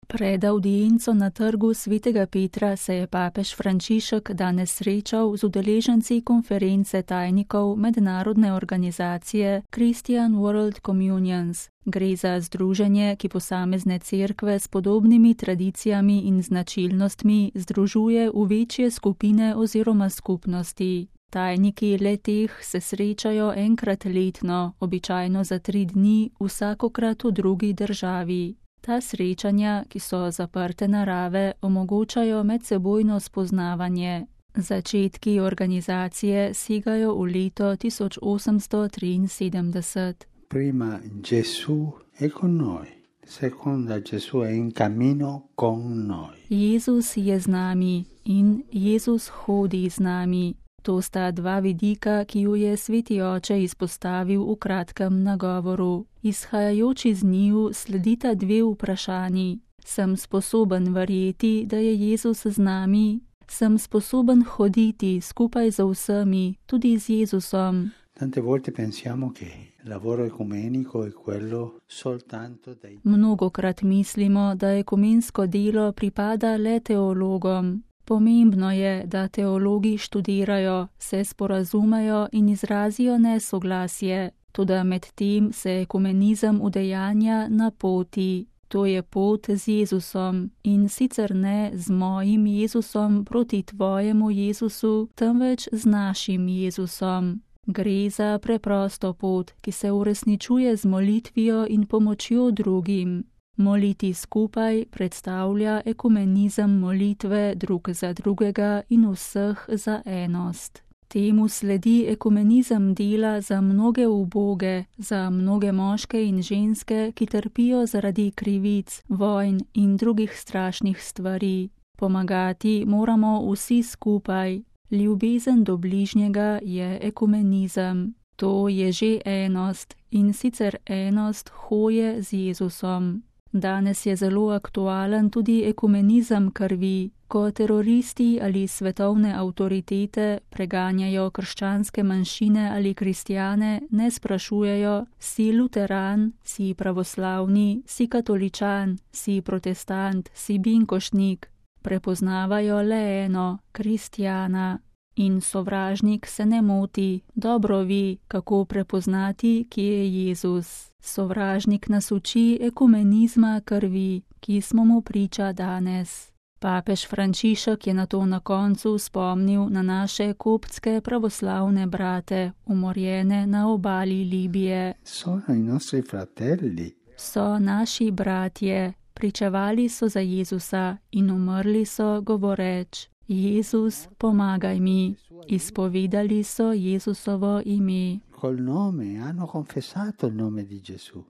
Pred audienco na trgu Svetega Petra se je papež Frančišek danes srečal z udeleženci konference tajnikov mednarodne organizacije Christian World Communions. Gre za združenje, ki posamezne cerkve s podobnimi tradicijami in značilnostmi združuje v večje skupine oziroma skupnosti. Tajniki le-teh se srečajo enkrat letno, običajno za 3 dni, vsakokrat v drugi državi. Ta srečanja, ki so zaprte narave, omogočajo medsebojno spoznavanje. Začetki organizacije segajo v leto 1873. Prima Gesù è con noi, seconda Gesù è in cammino con noi. Jezus je z nami in Jezus hodi z nami. To sta 2 vidika, ki ju je Sveti Oče izpostavil v kratkem nagovoru. Izhajajoči z njiju sledita 2 vprašanji. Sem sposoben verjeti, da je Jezus z nami? Sem sposoben hoditi skupaj z vsemi, tudi z Jezusom? Tante volte pensiamo che il lavoro ecumenico è quello soltanto dei... Mnogokrat mislimo, da ekumensko delo pripada le teologom. Pomembno je, da teologi študirajo, se sporazumejo in izrazijo nesoglasje, toda med tem se ekumenizem udejanja na poti. To je pot z Jezusom in sicer ne z mojim Jezusom proti tvojemu Jezusu, temveč z našim Jezusom. Gre za preprosto pot, ki se uresničuje z molitvijo in pomočjo drugim. Moliti skupaj predstavlja ekumenizem molitve drug za drugega in vseh za enost. Temu sledi ekumenizem dela za mnoge uboge, za mnoge moške in ženske, ki trpijo zaradi krivic, vojn in drugih strašnih stvari. Pomagati moramo vsi skupaj. Ljubezen do bližnjega je ekumenizem. To je že enost in sicer enost hoje z Jezusom. Danes je zelo aktualen tudi ekumenizem krvi, ko teroristi ali svetovne avtoritete preganjajo krščanske manjšine ali kristjane, ne sprašujejo, si luteran, si pravoslavni, si katoličan, si protestant, si binkošnik. Prepoznavajo le eno, kristjana. In sovražnik se ne moti, dobro ve, kako prepoznati, kje je Jezus. Sovražnik nas uči ekumenizma krvi, ki smo mu priča danes. Papež Frančišek je nato na koncu spomnil na naše koptske pravoslavne brate, umorjene na obali Libije. Sono i nostri fratelli. So naši bratje, pričevali so za Jezusa in umrli so govoreč: Jezus, pomagaj mi. Izpovedali so Jezusovo ime. Col nome, hanno confessato il nome di Gesù.